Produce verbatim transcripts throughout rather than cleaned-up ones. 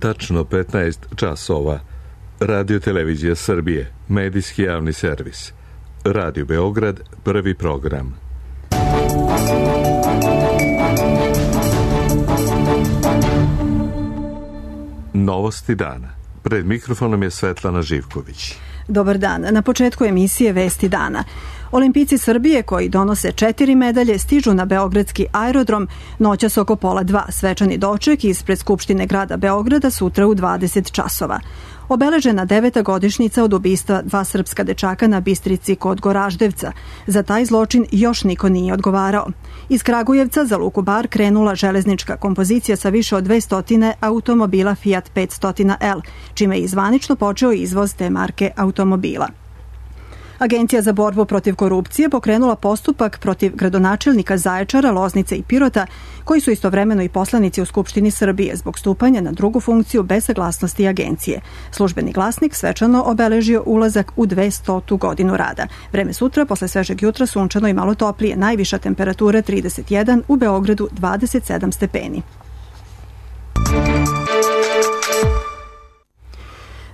Tačno petnaest časova. Radio Televizija Srbije, medijski javni servis. Radio Beograd, prvi program. Novosti dana. Pred mikrofonom je Svetlana Živković. Dobar dan. Na početku emisije Vesti dana. Olimpijci Srbije koji donose četiri medalje stižu na beogradski aerodrom noćas oko pola dva. Svečani doček ispred Skupštine grada Beograda sutra u dvadeset časova. Obeležena deveta godišnjica od ubistva dva srpska dečaka na Bistrici kod Goraždevca. Za taj zločin još niko nije odgovarao. Iz Kragujevca za luku Bar krenula železnička kompozicija sa više od dvesta automobila Fiat petsto L, čime je zvanično počeo izvoz te marke automobila. Agencija za borbu protiv korupcije pokrenula postupak protiv gradonačelnika Zaječara, Loznice i Pirota, koji su istovremeno i poslanici u Skupštini Srbije zbog stupanja na drugu funkciju bez saglasnosti agencije. Službeni glasnik svečano obeležio ulazak u dvestotu godinu rada. Vreme sutra, posle svežeg jutra, sunčano i malo toplije, najviša temperatura trideset jedan, u Beogradu dvadeset sedam stepeni.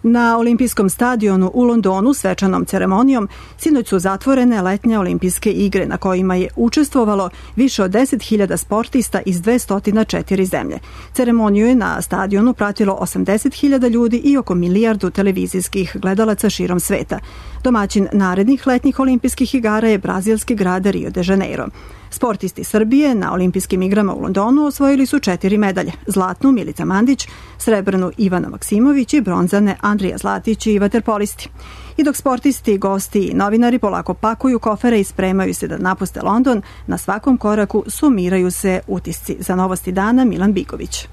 Na olimpijskom stadionu u Londonu svečanom ceremonijom sinoć su zatvorene letnje olimpijske igre na kojima je učestvovalo više od deset hiljada sportista iz dvesta četiri zemlje. Ceremoniju je na stadionu pratilo osamdeset hiljada ljudi i oko milijardu televizijskih gledalaca širom sveta. Domaćin narednih letnjih olimpijskih igara je brazilski grad Rio de Janeiro. Sportisti Srbije na olimpijskim igrama u Londonu osvojili su četiri medalje. Zlatnu Milica Mandić, srebrnu Ivana Maksimović i bronzane Andrija Zlatić i vaterpolisti. I dok sportisti, gosti i novinari polako pakuju kofere i spremaju se da napuste London, na svakom koraku sumiraju se utisci. Za Novosti dana Milan Bigović.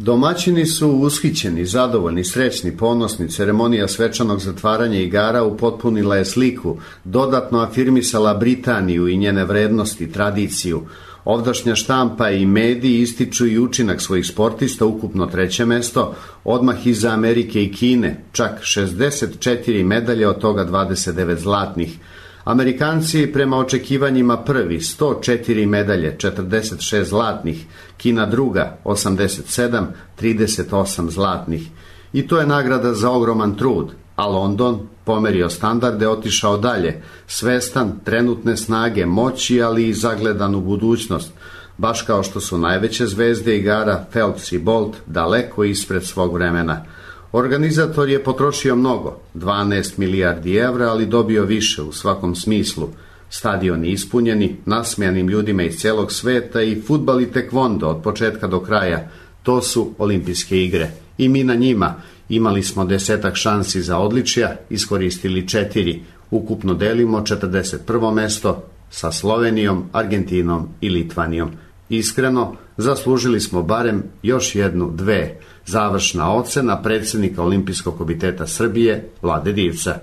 Domaćini su ushićeni, zadovoljni, srećni, ponosni. Ceremonija svečanog zatvaranja igara upotpunila je sliku, dodatno afirmisala Britaniju i njene vrednosti, tradiciju. Ovdašnja štampa i mediji ističu i učinak svojih sportista, ukupno treće mesto, odmah iza Amerike i Kine, čak šezdeset četiri medalje, od toga dvadeset devet zlatnih. Amerikanci prema očekivanjima prvi, sto četiri medalje, četrdeset šest zlatnih, Kina druga, osamdeset sedam, trideset osam zlatnih. I to je nagrada za ogroman trud, a London pomerio standarde, otišao dalje, svestan trenutne snage, moći, ali i zagledan u budućnost, baš kao što su najveće zvezde igara Phelps i Bolt daleko ispred svog vremena. Organizator je potrošio mnogo, dvanaest milijardi evra, ali dobio više u svakom smislu. Stadioni ispunjeni, nasmijanim ljudima iz cijelog sveta i fudbal i tekvondo od početka do kraja. To su olimpijske igre. I mi na njima imali smo desetak šansi za odličja, iskoristili četiri. Ukupno delimo četrdeset prvo mesto sa Slovenijom, Argentinom i Litvanijom. Iskreno, zaslužili smo barem još jednu, dve. Završna ocena predsjednika Olimpijskog komiteta Srbije, Vlade Divca.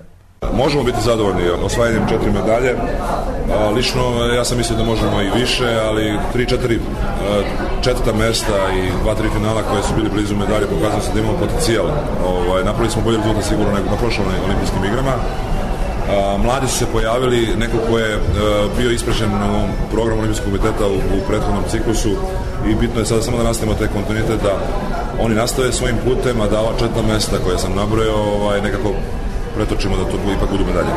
Možemo biti zadovoljni osvajanjem četiri medalje. Lično ja sam mislio da možemo i više, ali tri, četiri četvrta mesta i dva, tri finala koje su bili blizu medalje pokazali se da imamo potencijal. Ovaj, napravili smo bolje rezultat sigurno nego na prošlim olimpijskim igrama. Mladi su se pojavili, neko ko je bio isprečen u programu Olimpijskog komiteta u, u prethodnom ciklusu i bitno je sada samo da nastavimo taj kontinuitet, da oni nastave svojim putem, a da ova četvrta mesta koje sam nabrojao ovaj, nekako pretočimo da to ipak budu medalje.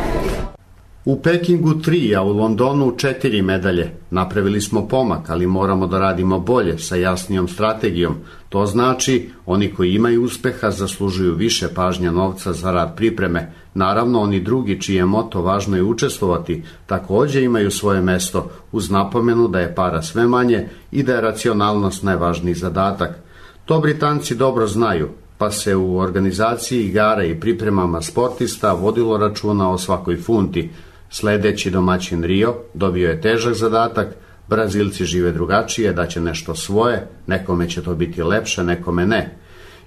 U Pekingu tri, a u Londonu četiri medalje. Napravili smo pomak, ali moramo da radimo bolje, sa jasnijom strategijom. To znači, oni koji imaju uspeha zaslužuju više pažnja novca za rad pripreme. Naravno, oni drugi čiji je moto važno je učestvovati, također imaju svoje mesto, uz napomenu da je para sve manje i da je racionalnost najvažniji zadatak. To Britanci dobro znaju, pa se u organizaciji igara i pripremama sportista vodilo računa o svakoj funti. Sljedeći domaćin Rio dobio je težak zadatak, Brazilci žive drugačije, da će nešto svoje, nekome će to biti lepše, nekome ne.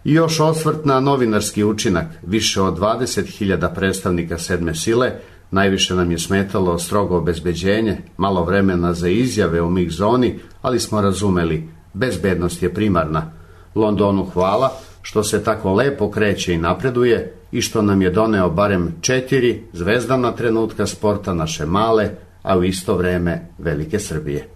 I još osvrt na novinarski učinak, više od dvadeset hiljada predstavnika sedme sile, najviše nam je smetalo strogo obezbeđenje, malo vremena za izjave u mix zoni, ali smo razumeli, bezbednost je primarna. Londonu hvala što se tako lepo kreće i napreduje i što nam je doneo barem četiri zvezdana trenutka sporta naše male, a u isto vreme velike Srbije.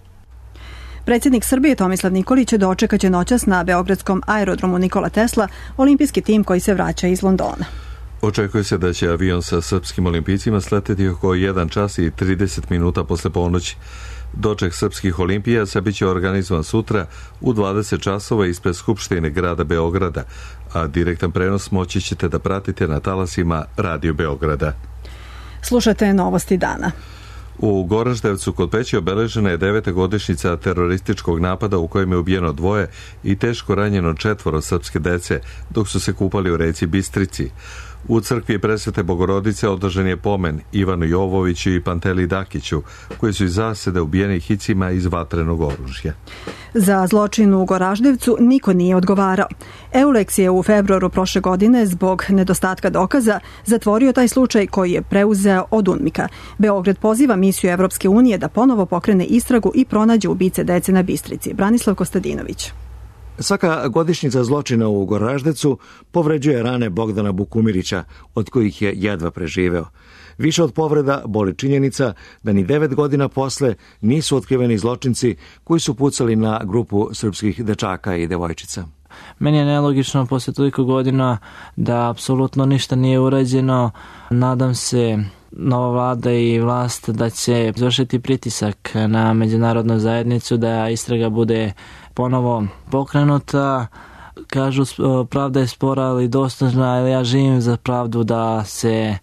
Predsjednik Srbije Tomislav Nikolić dočekaće noćas na beogradskom aerodromu Nikola Tesla olimpijski tim koji se vraća iz Londona. Očekuje se da će avion sa srpskim olimpijcima sleteti oko jedan čas i trideset minuta posle ponoći. Doček srpskih olimpijaca biće organizovan sutra u dvadeset časova ispred Skupštine grada Beograda, a direktan prenos moći ćete da pratite na talasima Radio Beograda. Slušate novosti dana. U Goraždevcu kod Peći obeležena je deveta godišnjica terorističkog napada u kojem je ubijeno dvoje i teško ranjeno četvoro srpske dece dok su se kupali u reci Bistrici. U crkvi Presvete Bogorodice održan je pomen Ivanu Jovoviću i Panteli Dakiću, koji su iz zasede ubijeni hicima iz vatrenog oružja. Za zločin u Goraždevcu niko nije odgovarao. Eulex je u februaru prošle godine zbog nedostatka dokaza zatvorio taj slučaj koji je preuzeo od UNMIK-a. Beograd poziva misiju Evropske unije da ponovo pokrene istragu i pronađe ubice dece na Bistrici. Branislav Kostadinović. Svaka godišnjica zločina u Goraždevcu povređuje rane Bogdana Bukumirića, od kojih je jedva preživeo. Više od povreda boli činjenica da ni devet godina posle nisu otkriveni zločinci koji su pucali na grupu srpskih dečaka i devojčica. Meni je nelogično posle toliko godina da apsolutno ništa nije urađeno. Nadam se nova vlada i vlast da će izvršiti pritisak na međunarodnu zajednicu da istraga bude ponovo pokrenuta. Kažu pravda je spora ali dostižna, ali ja živim za pravdu da se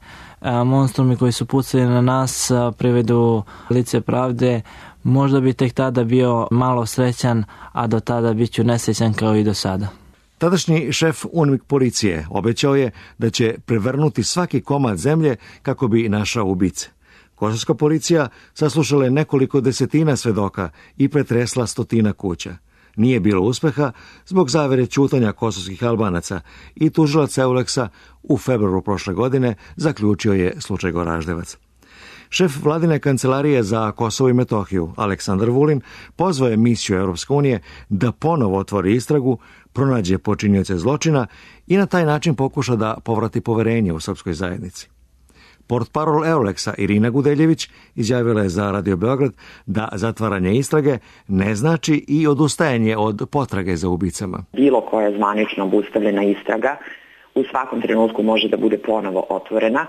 monstrumi koji su pucali na nas privedu lice pravde. Možda bi tek tada bio malo srećan, a do tada bit ću nesrećan kao i do sada. Tadašnji šef UNMIK policije obećao je da će prevrnuti svaki komad zemlje kako bi našao ubice. Kosovska policija saslušala je nekoliko desetina svedoka i pretresla stotina kuća. Nije bilo uspeha zbog zavere ćutanja kosovskih Albanaca i tužilac Eulexa u februaru prošle godine zaključio je slučaj Goraždevac. Šef vladine kancelarije za Kosovo i Metohiju, Aleksandar Vulin, pozvao je misiju Europske unije da ponovo otvori istragu, pronađe počinioce zločina i na taj način pokuša da povrati poverenje u srpskoj zajednici. Portparol Eulexa Irina Gudeljević izjavila je za Radio Beograd da zatvaranje istrage ne znači i odustajanje od potrage za ubicama. Bilo koja zvanično obustavljena istraga u svakom trenutku može da bude ponovo otvorena,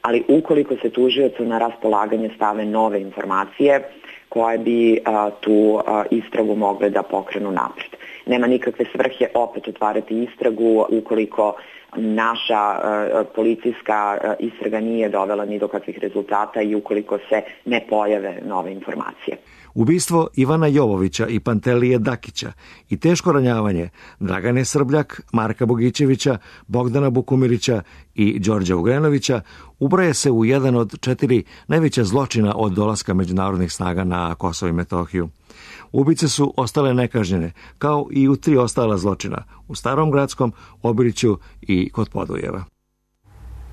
ali ukoliko se tužiocu na raspolaganje stave nove informacije koje bi a, tu a, istragu mogle da pokrenu napred. Nema nikakve svrhe opet otvarati istragu ukoliko naša a, policijska a, istraga nije dovela ni do kakvih rezultata i ukoliko se ne pojave nove informacije. Ubistvo Ivana Jovovića i Pantelije Dakića i teško ranjavanje Dragane Srbljak, Marka Bogićevića, Bogdana Bukumirića i Đorđa Ugrenovića ubraje se u jedan od četiri najveća zločina od dolaska međunarodnih snaga na Kosovo i Metohiju. Ubice su ostale nekažnjene, kao i u tri ostala zločina, u Starom Gradskom, Obiriću i kod Podujeva.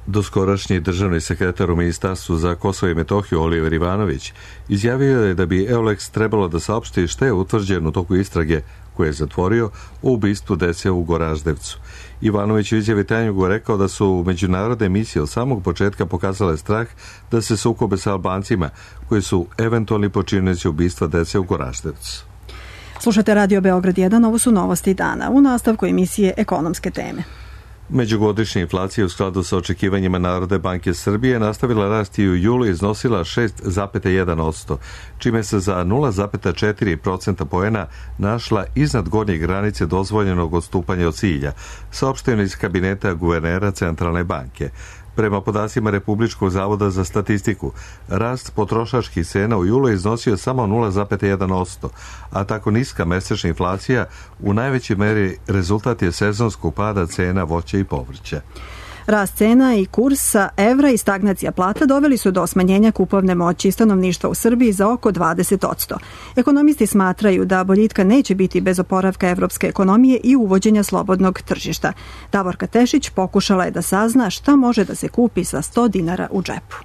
Doskorašnji državni sekretar u Ministarstvu za Kosovo i Metohiju Oliver Ivanović izjavio je da bi Eulex trebalo da saopšti šta je utvrđeno u toku istrage koje je zatvorio o ubistvu dece u Goraždevcu. Ivanović u izjavi Tanjugu rekao da su međunarodne misije od samog početka pokazale strah da se sukobe sa Albancima koji su eventualni počinioci ubistva dece u Goraždevcu. Slušate Radio Beograd jedan, ovo su novosti dana. U nastavku emisije ekonomske teme. Međugodišnja inflacija u skladu sa očekivanjima Narodne banke Srbije nastavila rasti i u julu iznosila šest zarez jedan posto, čime se za nula zarez četiri procenta poena našla iznad gornje granice dozvoljenog odstupanja od cilja, saopšteno iz kabineta guvernera Centralne banke. Prema podacima Republičkog zavoda za statistiku, rast potrošačkih cena u julu je iznosio samo nula zarez jedan posto, a tako niska mesečna inflacija u najvećoj meri rezultat je sezonskog pada cena voća i povrća. Rast cena i kursa evra i stagnacija plata doveli su do smanjenja kupovne moći stanovništva u Srbiji za oko dvadeset posto. Ekonomisti smatraju da boljitka neće biti bez oporavka evropske ekonomije i uvođenja slobodnog tržišta. Davorka Tešić pokušala je da sazna šta može da se kupi sa sto dinara u džepu.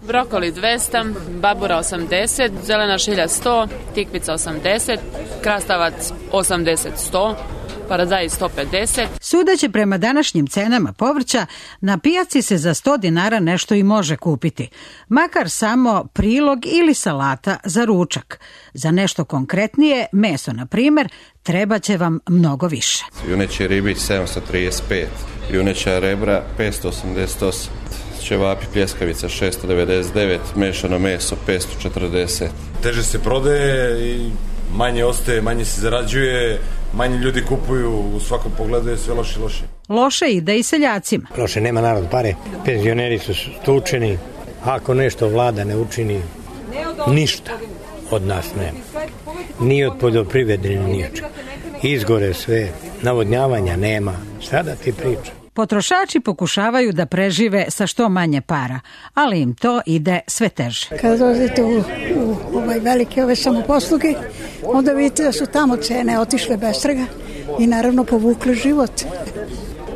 Brokoli dvesta, babura osamdeset, zelena šilja sto, tikvica osamdeset, krastavac osamdeset sto, paradajz sto pedeset. Sudeći prema današnjim cenama povrća, na pijaci se za sto dinara nešto i može kupiti. Makar samo prilog ili salata za ručak. Za nešto konkretnije, meso na primer, treba će vam mnogo više. Juneći ribić sedamsto trideset pet, juneća rebra petsto osamdeset osam, ćevapi pljeskavica šesto devedeset devet, mešano meso petsto četrdeset. Teže se prodaje i manje ostaje, manje se zarađuje, manje ljudi kupuju, u svakom pogledu je sve loše i loše. Loše ide i seljacima. Loše, nema narod pare, penzioneri su stučeni, ako nešto vlada ne učini, ništa od nas nema. Ni od poljoprivrede, ni od čega. Izgore sve, navodnjavanja nema, šta da ti pričam. Potrošači pokušavaju da prežive sa što manje para, ali im to ide sve teže. Kada dođete u, u ovaj velike ove samoposluge, onda vidite da su tamo cene otišle bez trga i naravno povukle život.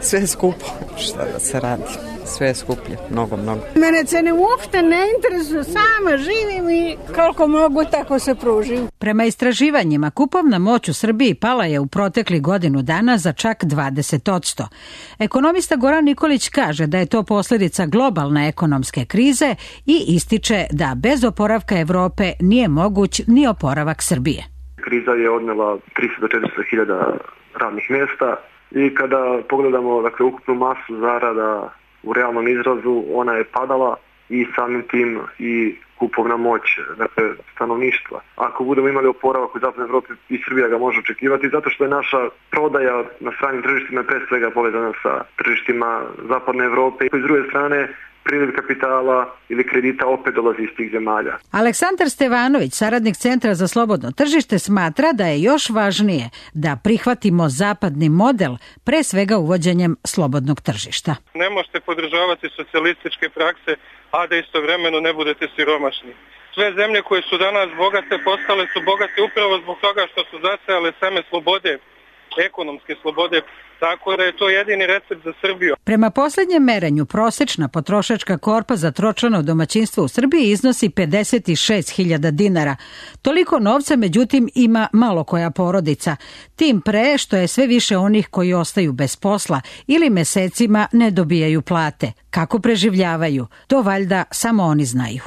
Sve je skupo, šta da se radi. Sve je skuplje, mnogo, mnogo. Mene cene uopšte ne interesuju, sama živim i koliko mogu tako se pružim. Prema istraživanjima, kupovna moć u Srbiji pala je u proteklih godinu dana za čak dvadeset posto. Ekonomista Goran Nikolić kaže da je to posljedica globalne ekonomske krize i ističe da bez oporavka Evrope nije moguć ni oporavak Srbije. Kriza je odnela tristo do četiristo hiljada radnih mjesta i kada pogledamo dakle, ukupnu masu zarada u realnom izrazu, ona je padala i samim tim i kupovna moć dakle, stanovništva. Ako budemo imali oporavak u Zapadnoj Evropi, i Srbija ga može očekivati, zato što je naša prodaja na stranim tržištima pre svega povezana sa tržištima Zapadne Evrope i s druge strane priliv kapitala ili kredita opet dolazi iz tih zemalja. Aleksandar Stevanović, saradnik Centra za slobodno tržište, smatra da je još važnije da prihvatimo zapadni model, pre svega uvođenjem slobodnog tržišta. Ne možete podržavati socijalističke prakse, a da istovremeno ne budete siromašni. Sve zemlje koje su danas bogate postale su bogate upravo zbog toga što su zasejale same slobode, ekonomske slobode, tako da je to jedini recept za Srbiju. Prema posljednjem merenju, prosečna potrošačka korpa za tročlano domaćinstvo u Srbiji iznosi pedeset šest hiljada dinara. Toliko novca, međutim, ima malo koja porodica. Tim pre što je sve više onih koji ostaju bez posla ili mesecima ne dobijaju plate. Kako preživljavaju? To valjda samo oni znaju.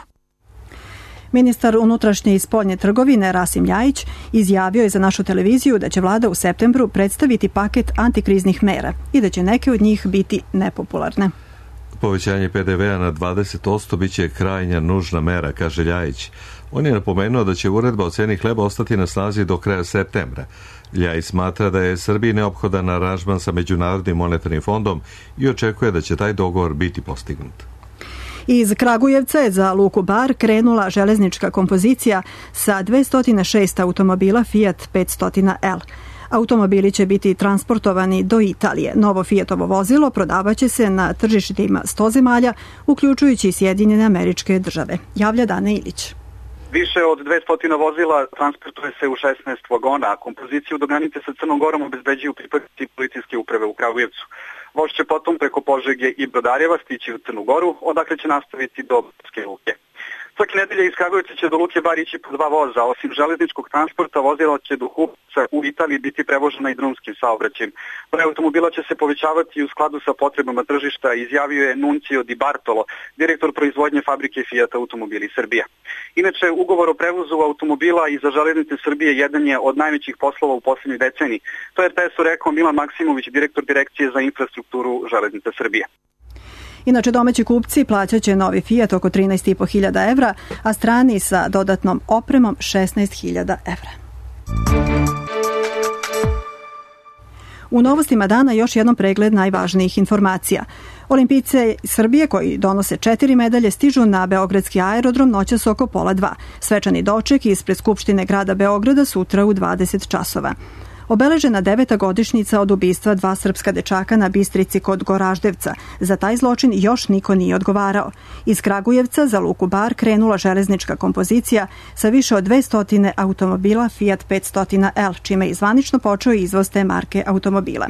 Ministar unutrašnje i spoljne trgovine Rasim Ljajić izjavio je za našu televiziju da će vlada u septembru predstaviti paket antikriznih mera i da će neke od njih biti nepopularne. Povećanje pe de vea na dvadeset posto biće krajnja nužna mera, kaže Ljajić. On je napomenuo da će uredba o ceni hleba ostati na snazi do kraja septembra. Ljajić smatra da je Srbiji neophodan aranžman sa Međunarodnim monetarnim fondom i očekuje da će taj dogovor biti postignut. Iz Kragujevca je za Luku Bar krenula železnička kompozicija sa dvesta šest automobila Fiat petsto L. Automobili će biti transportovani do Italije. Novo Fiatovo vozilo prodavaće se na tržištima sto zemalja, uključujući Sjedinjene Američke Države. Javlja Dana Ilić. Više od dvesta vozila transportuje se u šesnaest vagona, a kompoziciju do granice sa Crnom Gorom obezbeđuju pripadnici policijske uprave u Kragujevcu. Voz će potom preko Požege i Brodarjeva stići u Crnu Goru, odakle će nastaviti do Banjske Luke. Svake nedelje iz Kragujevca će do Luke Bar ići po dva voza. Osim železničkog transporta, vozila će do Hupca u Italiji biti prevožena i drumskim saobraćajem. Broj automobila će se povećavati u skladu sa potrebama tržišta, izjavio je Nuncio Di Bartolo, direktor proizvodnje fabrike Fiat Automobili Srbija. Inače, ugovor o prevozu automobila i za železnice Srbije jedan je od najvećih poslova u posljednjoj deceniji. To je er te esu rekao Milan Maksimović, direktor direkcije za infrastrukturu železnice Srbije. Inače, domaći kupci plaćat će novi Fiat oko trinaest i po hiljada evra, a strani sa dodatnom opremom šesnaest hiljada evra. U novostima dana još jednom pregled najvažnijih informacija. Olimpijce Srbije koji donose četiri medalje stižu na beogradski aerodrom noćas oko pola dva. Svečani doček ispred Skupštine grada Beograda sutra u dvadeset časova. Obeležena deveta godišnjica od ubistva dva srpska dečaka na Bistrici kod Goraždevca. Za taj zločin još niko nije odgovarao. Iz Kragujevca za Luku Bar krenula železnička kompozicija sa više od dvesta automobila Fiat petsto L, čime je zvanično počeo izvoz te marke automobila.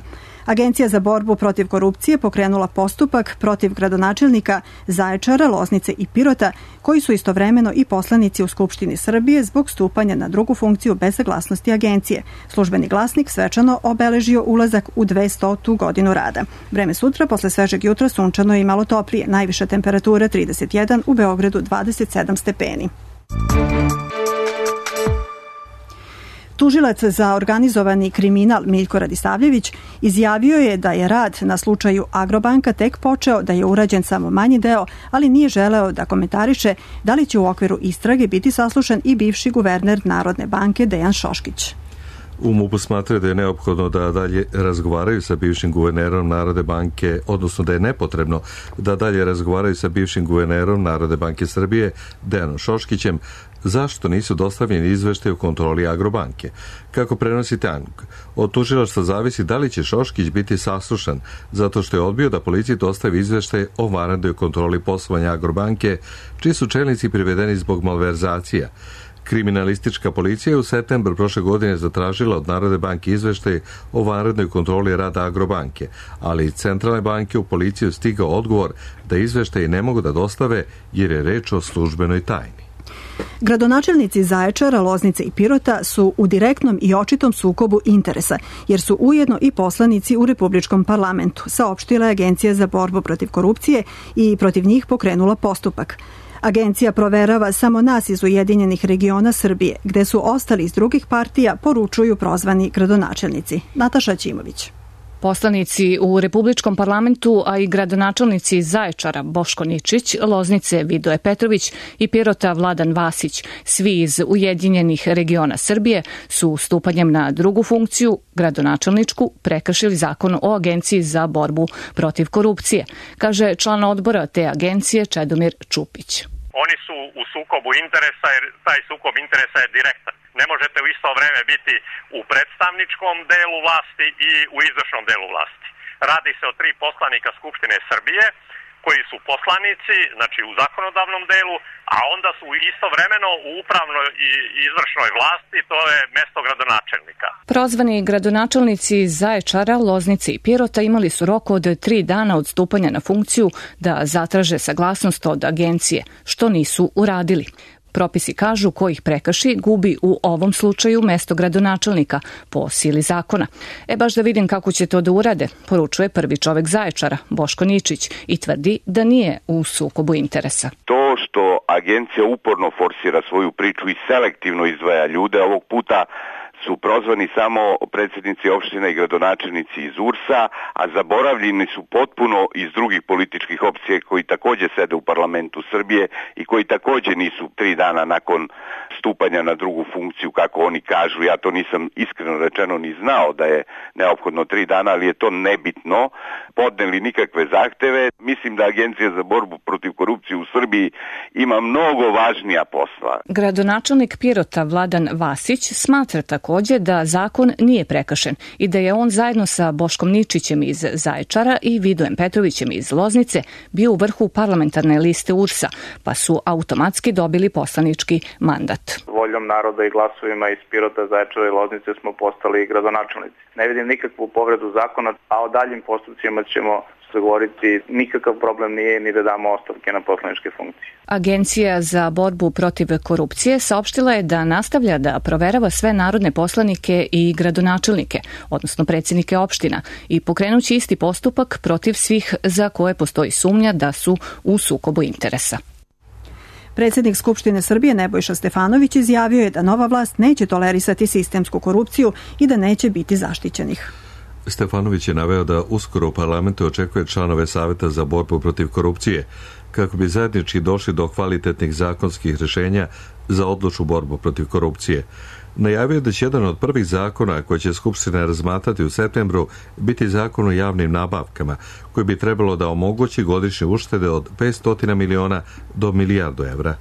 Agencija za borbu protiv korupcije pokrenula postupak protiv gradonačelnika Zaječara, Loznice i Pirota, koji su istovremeno i poslanici u Skupštini Srbije zbog stupanja na drugu funkciju bez saglasnosti agencije. Službeni glasnik svečano obeležio ulazak u dvestotu godinu rada. Vreme sutra, posle svežeg jutra, sunčano i malo toplije. Najviša temperatura trideset jedan, u Beogradu dvadeset sedam stepeni. Tužilac za organizovani kriminal Miljko Radisavljević izjavio je da je rad na slučaju Agrobanka tek počeo, da je urađen samo manji deo, ali nije želeo da komentariše da li će u okviru istrage biti saslušan i bivši guverner Narodne banke Dejan Šoškić. U MUP-u smatraju da je neophodno da dalje razgovaraju sa bivšim guvernerom Narodne banke, odnosno da je nepotrebno da dalje razgovaraju sa bivšim guvernerom Narodne banke Srbije Dejanom Šoškićem, zašto nisu dostavljeni izveštaj o kontroli Agrobanke. Kako prenosi Tanjug, od tužilaštva zavisi da li će Šoškić biti saslušan, zato što je odbio da policiji dostavi izveštaj o vanrednoj kontroli poslovanja Agrobanke, čiji su čelnici privedeni zbog malverzacija. Kriminalistička policija je u septembru prošle godine zatražila od Narodne banke izveštaj o vanrednoj kontroli rada Agrobanke, ali iz Centralne banke u policiju stigao odgovor da izveštaji ne mogu da dostave jer je reč o službenoj tajni. Gradonačelnici Zaječara, Loznice i Pirota su u direktnom i očitom sukobu interesa, jer su ujedno i poslanici u Republičkom parlamentu, saopštila je Agencija za borbu protiv korupcije i protiv njih pokrenula postupak. Agencija proverava samo nas iz Ujedinjenih regiona Srbije, gde su ostali iz drugih partija, poručuju prozvani gradonačelnici. Nataša Ćimović. Poslanici u Republičkom parlamentu, a i gradonačelnici Zaječara Boško Ničić, Loznice Vidoje Petrović i Pirota Vladan Vasić, svi iz Ujedinjenih regiona Srbije, su stupanjem na drugu funkciju, gradonačelničku, prekršili zakon o Agenciji za borbu protiv korupcije, kaže član odbora te agencije Čedomir Čupić. Oni su u sukobu interesa jer taj sukob interesa je direktan. Ne možete u isto vreme biti u predstavničkom delu vlasti i u izvršnom delu vlasti. Radi se o tri poslanika Skupštine Srbije koji su poslanici, znači u zakonodavnom delu, a onda su istovremeno u upravnoj i izvršnoj vlasti, to je mesto gradonačelnika. Prozvani gradonačelnici Zaječara, Loznice i Pirota imali su rok od tri dana od stupanja na funkciju da zatraže saglasnost od agencije, što nisu uradili. Propisi kažu ko ih prekrši gubi u ovom slučaju mesto gradonačelnika po sili zakona. E baš da vidim kako će to da urade, poručuje prvi čovek Zaječara, Boško Ničić, i tvrdi da nije u sukobu interesa. To što agencija uporno forsira svoju priču i selektivno izdvaja ljude, ovog puta su prozvani samo predsjednici opština i gradonačelnici iz U R S-a, a zaboravljeni su potpuno iz drugih političkih opcija koji također sede u parlamentu Srbije i koji također nisu tri dana nakon stupanja na drugu funkciju, kako oni kažu. Ja to nisam iskreno rečeno ni znao da je neophodno tri dana, ali je to nebitno. Podneli nikakve zahteve. Mislim da Agencija za borbu protiv korupcije u Srbiji ima mnogo važnija posla. Gradonačelnik Pirota Vladan Vasić smatra također da zakon nije prekršen i da je on zajedno sa Boškom Ničićem iz Zaječara i Vidojem Petrovićem iz Loznice bio u vrhu parlamentarne liste U R S-a, pa su automatski dobili poslanički mandat. Voljom naroda i glasovima iz Pirota, Zaječara i Loznice smo postali gradonačelnici. Ne vidim nikakvu povredu zakona, a o daljim postupcima ćemo se govoriti. Nikakav problem nije ni da damo ostavke na poslaničke funkcije. Agencija za borbu protiv korupcije saopštila je da nastavlja da proverava sve narodne poslanike i gradonačelnike, odnosno predsjednike opština, i pokrenući isti postupak protiv svih za koje postoji sumnja da su u sukobu interesa. Predsjednik Skupštine Srbije Nebojša Stefanović izjavio je da nova vlast neće tolerisati sistemsku korupciju i da neće biti zaštićenih. Stefanović je naveo da uskoro u parlamentu očekuje članove Saveta za borbu protiv korupcije, kako bi zajednički došli do kvalitetnih zakonskih rješenja za odlučnu borbu protiv korupcije. Najavio je da će jedan od prvih zakona koje će Skupština razmatrati u septembru biti zakon o javnim nabavkama, koji bi trebalo da omogući godišnje uštede od petsto miliona do milijardu evra.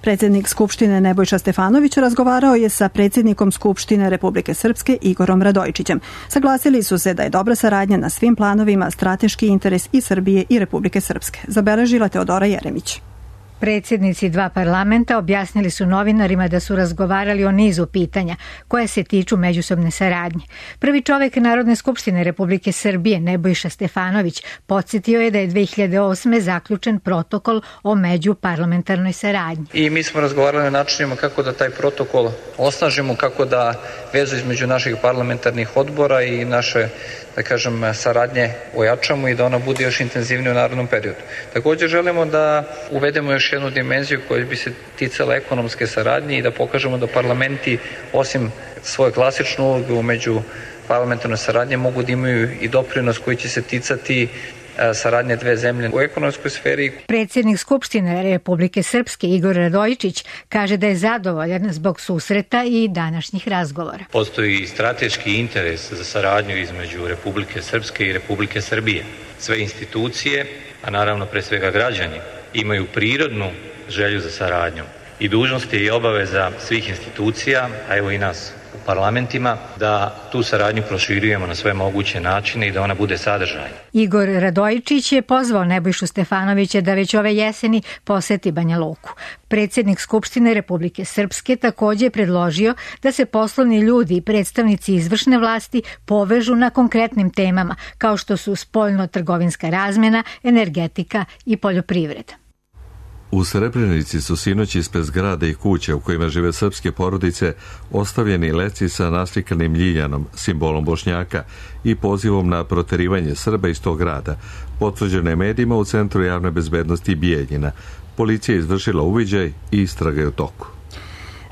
Predsjednik Skupštine Nebojša Stefanović razgovarao je sa predsjednikom Skupštine Republike Srpske Igorom Radojičićem. Saglasili su se da je dobra saradnja na svim planovima strateški interes i Srbije i Republike Srpske, zabeležila Teodora Jeremić. Predsjednici dva parlamenta objasnili su novinarima da su razgovarali o nizu pitanja koje se tiču međusobne saradnje. Prvi čovek Narodne skupštine Republike Srbije, Nebojša Stefanović, podsjetio je da je dve hiljade osme zaključen protokol o međuparlamentarnoj saradnji. I mi smo razgovarali o načinima kako da taj protokol osnažimo, kako da vezu između naših parlamentarnih odbora i naše, da kažem, saradnje ojačamo i da ona bude još intenzivnija u narednom periodu. Također želimo da uvedemo još jednu dimenziju koja bi se ticala ekonomske saradnje i da pokažemo da parlamenti, osim svoje klasične uloge među parlamentarnoj saradnje, mogu da imaju i doprinos koji će se ticati saradnje dve zemlje u ekonomskoj sferi. Predsjednik Skupštine Republike Srpske Igor Radojičić kaže da je zadovoljan zbog susreta i današnjih razgovora. Postoji strateški interes za saradnju između Republike Srpske i Republike Srbije. Sve institucije, a naravno pre svega građani, imaju prirodnu želju za saradnjom i dužnost je i obaveza svih institucija, a evo i nas u parlamentima, da tu saradnju proširujemo na sve moguće načine i da ona bude sadržajna. Igor Radojičić je pozvao Nebojšu Stefanovića da već ove jeseni poseti Banja Luku. Predsjednik Skupštine Republike Srpske također je predložio da se poslovni ljudi i predstavnici izvršne vlasti povežu na konkretnim temama kao što su spoljno-trgovinska razmjena, energetika i poljoprivreda. U Srebrenici su sinoć ispred zgrada i kuća u kojima žive srpske porodice ostavljeni leci sa naslikanim ljiljanom, simbolom Bošnjaka, i pozivom na proterivanje Srba iz tog grada. Potvrđeno je medijima u Centru javne bezbednosti Bijeljina. Policija je izvršila uviđaj i istraga je u toku.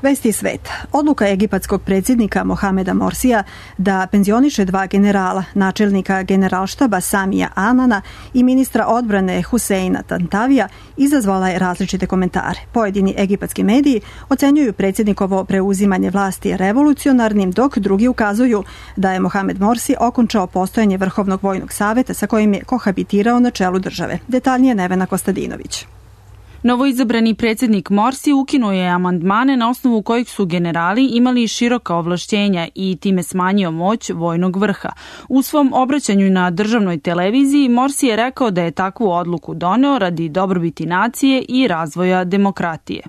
Vesti sveta. Odluka egipatskog predsjednika Mohameda Morsija da penzioniše dva generala, načelnika generalštaba Samija Anana i ministra odbrane Huseina Tantavija, izazvala je različite komentare. Pojedini egipatski mediji ocenjuju predsjednikovo preuzimanje vlasti revolucionarnim, dok drugi ukazuju da je Mohamed Morsi okončao postojanje Vrhovnog vojnog saveta sa kojim je kohabitirao na čelu države. Detaljnije Nevena Kostadinović. Novoizabrani predsjednik Morsi ukinuo je amandmane na osnovu kojih su generali imali široka ovlašćenja i time smanjio moć vojnog vrha. U svom obraćanju na državnoj televiziji Morsi je rekao da je takvu odluku doneo radi dobrobiti nacije i razvoja demokratije.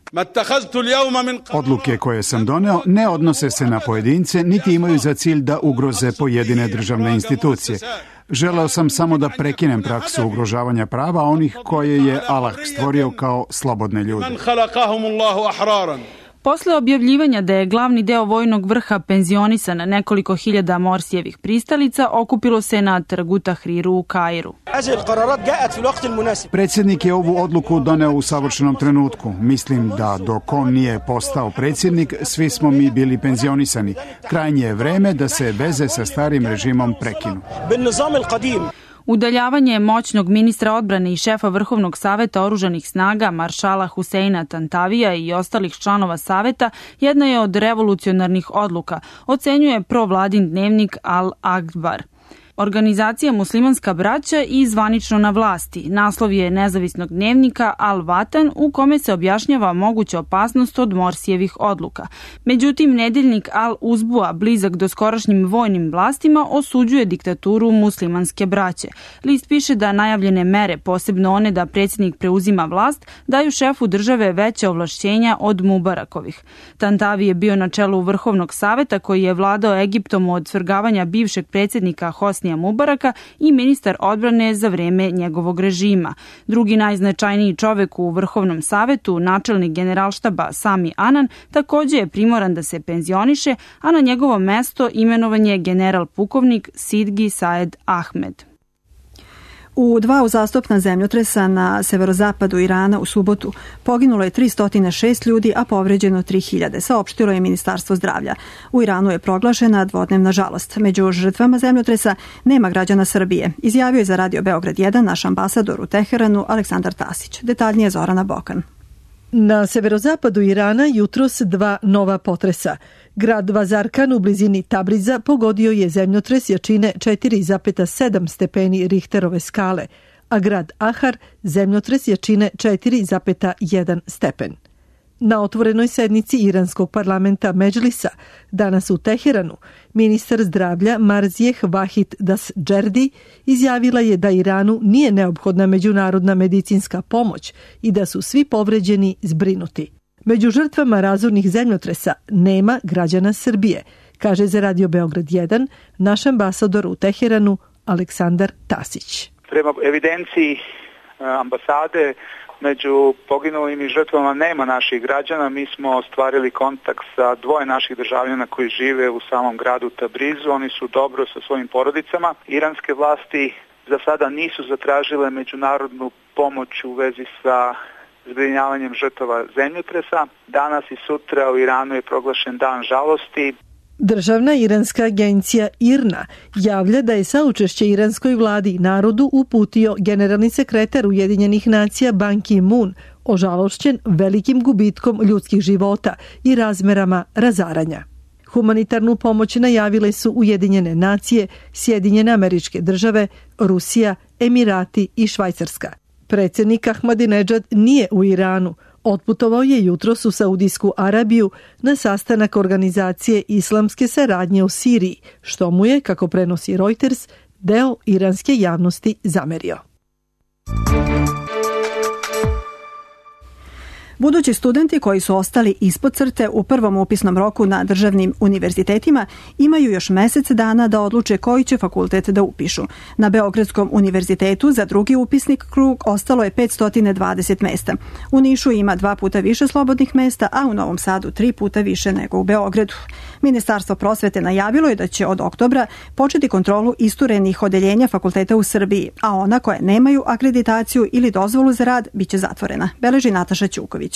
Odluke koje sam doneo ne odnose se na pojedince, niti imaju za cilj da ugroze pojedine državne institucije. Želeo sam samo da prekinem praksu ugrožavanja prava onih koje je Allah stvorio kao slobodne ljude. Posle objavljivanja da je glavni deo vojnog vrha penzionisan na nekoliko hiljada Morsijevih pristalica, okupilo se na trgu Tahriru u Kairu. Predsjednik je ovu odluku doneo u savršenom trenutku. Mislim da dok on nije postao predsjednik, svi smo mi bili penzionisani. Krajnje je vreme da se veze sa starim režimom prekinu. Udaljavanje moćnog ministra odbrane i šefa Vrhovnog saveta oružanih snaga maršala Huseina Tantavija i ostalih članova saveta jedna je od revolucionarnih odluka, ocenjuje provladin dnevnik Al Akbar. Organizacija Muslimanska braća i zvanično na vlasti. Naslov je nezavisnog dnevnika Al Vatan u kome se objašnjava moguća opasnost od Morsijevih odluka. Međutim, nedeljnik Al Uzbua, blizak do skorašnjim vojnim vlastima, osuđuje diktaturu Muslimanske braće. List piše da najavljene mere, posebno one da predsjednik preuzima vlast, daju šefu države veće ovlašćenja od Mubarakovih. Tantavi je bio na čelu Vrhovnog saveta koji je vladao Egiptom od svrgavanja bivšeg predsjednika Hosnija Mubaraka i ministar odbrane za vreme njegovog režima. Drugi najznačajniji čovek u Vrhovnom savetu, načelnik generalštaba Sami Anan, također je primoran da se penzioniše, a na njegovo mesto imenovan je general pukovnik Sidgi Saed Ahmed. U dva uzastopna zemljotresa na severozapadu Irana u subotu poginulo je tristo šest ljudi, a povređeno tri hiljade, saopštilo je Ministarstvo zdravlja. U Iranu je proglašena dvodnevna žalost. Među žrtvama zemljotresa nema građana Srbije, izjavio je za Radio Beograd jedan naš ambasador u Teheranu Aleksandar Tasić. Detaljnije Zorana Bokan. Na severozapadu Irana jutros dva nova potresa. Grad Vazarkan u blizini Tabriza pogodio je zemljotres jačine četiri zarez sedam stepeni Richterove skale, a grad Ahar zemljotres jačine četiri zarez jedan stepen. Na otvorenoj sednici iranskog parlamenta Medžlisa danas u Teheranu, ministar zdravlja Marzijeh Vahid Dasdžerdi izjavila je da Iranu nije neophodna međunarodna medicinska pomoć i da su svi povređeni zbrinuti. Među žrtvama razornih zemljotresa nema građana Srbije, kaže za Radio Beograd jedan naš ambasador u Teheranu Aleksandar Tasić. Prema evidenciji ambasade, među poginulim i žrtvama nema naših građana. Mi smo ostvarili kontakt sa dvoje naših državljana koji žive u samom gradu Tabrizu. Oni su dobro sa svojim porodicama. Iranske vlasti za sada nisu zatražile međunarodnu pomoć u vezi sa zbrinjavanjem žrtava zemljotresa. Danas i sutra u Iranu je proglašen dan žalosti. Državna iranska agencija I R N A javlja da je saučešće iranskoj vladi i narodu uputio generalni sekretar Ujedinjenih nacija Ban Ki-moon, ožalošćen velikim gubitkom ljudskih života i razmerama razaranja. Humanitarnu pomoć najavile su Ujedinjene nacije, Sjedinjene Američke Države, Rusija, Emirati i Švajcarska. Predsjednik Ahmadinedžad nije u Iranu. Otputovao je jutros u Saudijsku Arabiju na sastanak organizacije islamske saradnje u Siriji, što mu je, kako prenosi Reuters, deo iranske javnosti zamerio. Budući studenti koji su ostali ispod crte u prvom upisnom roku na državnim univerzitetima imaju još mesec dana da odluče koji će fakultet da upišu. Na Beogradskom univerzitetu za drugi upisnik krug ostalo je petsto dvadeset mesta. U Nišu ima dva puta više slobodnih mesta, a u Novom Sadu tri puta više nego u Beogradu. Ministarstvo prosvete najavilo je da će od oktobra početi kontrolu isturenih odeljenja fakulteta u Srbiji, a ona koje nemaju akreditaciju ili dozvolu za rad biće zatvorena, beleži Nataša Ćuković.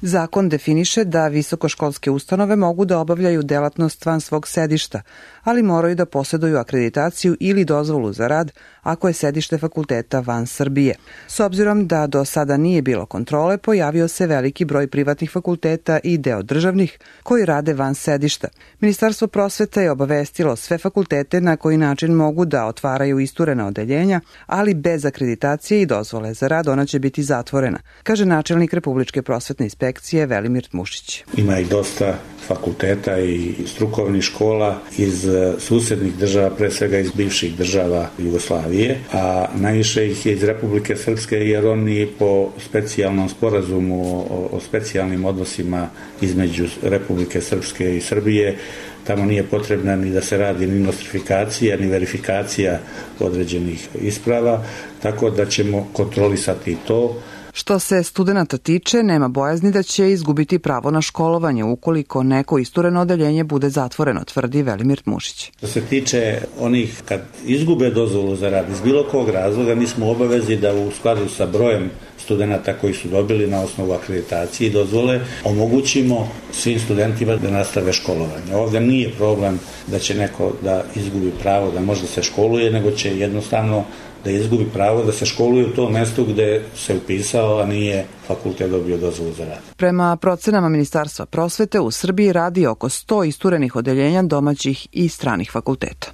Zakon definiše da visokoškolske ustanove mogu da obavljaju delatnost van svog sedišta, ali moraju da posjeduju akreditaciju ili dozvolu za rad ako je sedište fakulteta van Srbije. S obzirom da do sada nije bilo kontrole, pojavio se veliki broj privatnih fakulteta i deo državnih koji rade van sedišta. Ministarstvo prosvete je obavestilo sve fakultete na koji način mogu da otvaraju isturena odeljenja, ali bez akreditacije i dozvole za rad ona će biti zatvorena, kaže načelnik Republičke prosvetne inspekcije Velimir Tmušić. Ima i dosta fakulteta i strukovnih škola iz susednih država, pre svega iz bivših država Jugoslavije, a najviše ih je iz Republike Srpske, jer oni po specijalnom sporazumu o, o specijalnim odnosima između Republike Srpske i Srbije, tamo nije potrebna ni da se radi ni nostrifikacija, ni verifikacija određenih isprava, tako da ćemo kontrolisati to. Što se studenata tiče, nema bojazni da će izgubiti pravo na školovanje ukoliko neko istureno odeljenje bude zatvoreno, tvrdi Velimir Tmušić. Što se tiče onih kad izgube dozvolu za rad iz bilo kog razloga, mi smo obavezi da u skladu sa brojem studenata koji su dobili na osnovu akreditacije i dozvole omogućimo svim studentima da nastave školovanje. Ovdje nije problem da će neko da izgubi pravo da može da se školuje, nego će jednostavno da izgubi pravo da se školuje u tom mjestu gde se upisao, a nije fakultet dobio dozvolu za rad. Prema procenama Ministarstva prosvete, u Srbiji radi oko sto isturenih odeljenja domaćih i stranih fakulteta.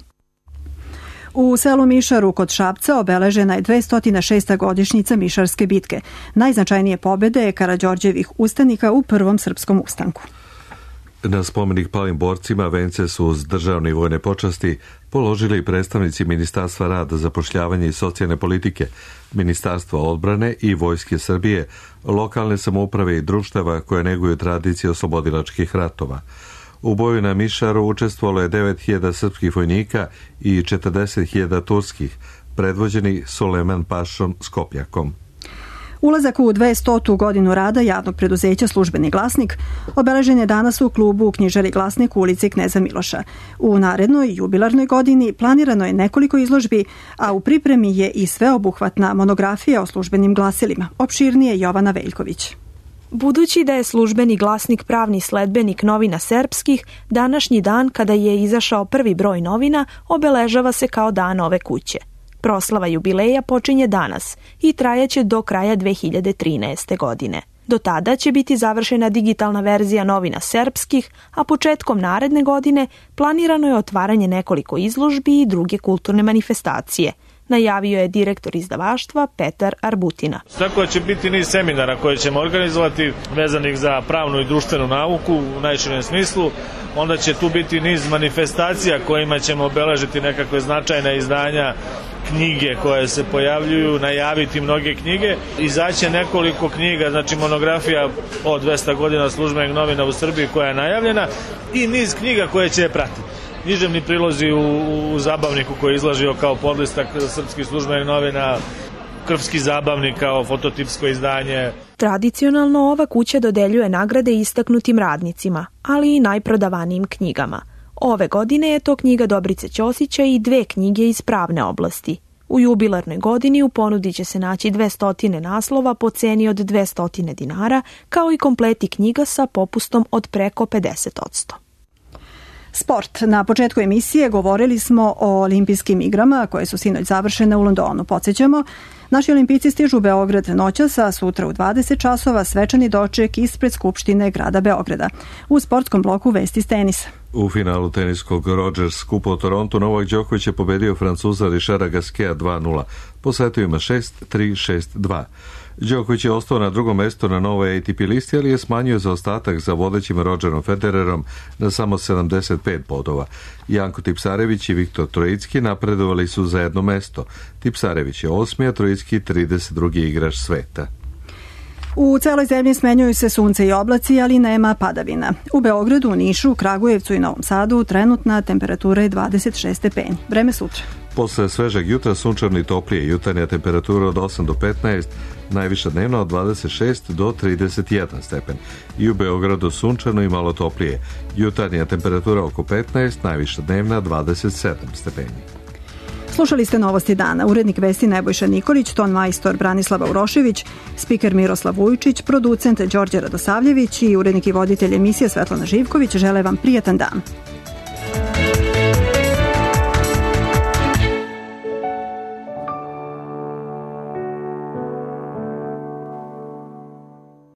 U selu Mišaru kod Šapca obeležena je dvesta šesta godišnjica Mišarske bitke. Najznačajnije pobjede je Karađorđevih ustanika u prvom srpskom ustanku. Na spomenik palim borcima vence su uz državne i vojne počasti položili predstavnici Ministarstva rada, zapošljavanja i socijalne politike, Ministarstva odbrane i Vojske Srbije, lokalne samouprave i društava koje neguju tradicije oslobodilačkih ratova. U boju na Mišaru učestvovalo je devet hiljada srpskih vojnika i četrdeset hiljada turskih, predvođeni Suleman Pašom Skopjakom. Ulazak u dvestotu godinu rada javnog preduzeća Službeni glasnik obeležen je danas u klubu u knjižari Glasnik u ulici Kneza Miloša. U narednoj jubilarnoj godini planirano je nekoliko izložbi, a u pripremi je i sveobuhvatna monografija o službenim glasilima. Opširnije Jovana Veljković. Budući da je Službeni glasnik pravni sledbenik novina srpskih, današnji dan kada je izašao prvi broj novina obeležava se kao dan ove kuće. Proslava jubileja počinje danas i trajaće do kraja dve hiljade trinaeste. godine. Do tada će biti završena digitalna verzija novina srpskih, a početkom naredne godine planirano je otvaranje nekoliko izložbi i druge kulturne manifestacije. najavio je direktor izdavaštva Petar Arbutina. Tako će biti niz seminara koje ćemo organizovati vezanih za pravnu i društvenu nauku u najširem smislu. Onda će tu biti niz manifestacija kojima ćemo obeležiti nekakve značajne izdanja, knjige koje se pojavljuju, najaviti mnoge knjige. Izaće nekoliko knjiga, znači monografija o dvesta godina službenih novina u Srbiji koja je najavljena i niz knjiga koje će je pratiti. Književni prilozi u, u zabavniku koji je izlažio kao podlistak srpskih službenih novina, Krvski zabavnik kao fototipsko izdanje. Tradicionalno ova kuća dodeljuje nagrade istaknutim radnicima, ali i najprodavanijim knjigama. Ove godine je to knjiga Dobrice Ćosića i dve knjige iz pravne oblasti. U jubilarnoj godini u ponudi će se naći dvesta naslova po ceni od dvesta dinara, kao i kompleti knjiga sa popustom od preko pedeset posto. Sport. Na početku emisije govorili smo o olimpijskim igrama koje su sinoć završene u Londonu. Podsjećamo, naši olimpijci stižu u Beograd noćas, a sutra u dvadeset časova svečani doček ispred Skupštine grada Beograda. U sportskom bloku vesti s tenisa. U finalu teniskog Rogers Kupa u Torontu Novak Đoković je pobedio Francuza Richarda Gasqueta dva nula. Po setovima šest tri šest dva. Đoković je ostao na drugom mestu na novoj A T P listi, ali je smanjio zaostatak za vodećim Rodgerom Federerom na samo sedamdeset pet bodova. Janko Tipsarević i Viktor Trojicki napredovali su za jedno mesto. Tipsarević je osmi, a Trojicki trideset drugi igrač sveta. U celoj zemlji smenjuju se sunce i oblaci, ali nema padavina. U Beogradu, Nišu, Kragujevcu i Novom Sadu trenutna temperatura je dvadeset šest stepeni. Vreme sutra. Posle svežeg jutra sunčano i toplije, jutarnja temperatura od osam do petnaest, najviša dnevna od dvadeset šest do trideset jedan stepen. I u Beogradu sunčano i malo toplije, jutarnja temperatura oko petnaest, najviša dnevna dvadeset sedam stepeni. Slušali ste Novosti dana. Urednik vesti Nebojša Nikolić, ton majstor Branislava Urošević, spiker Miroslav Vujičić, producent Đorđe Radosavljević i urednik i voditelj emisije Svetlana Živković žele vam prijatan dan.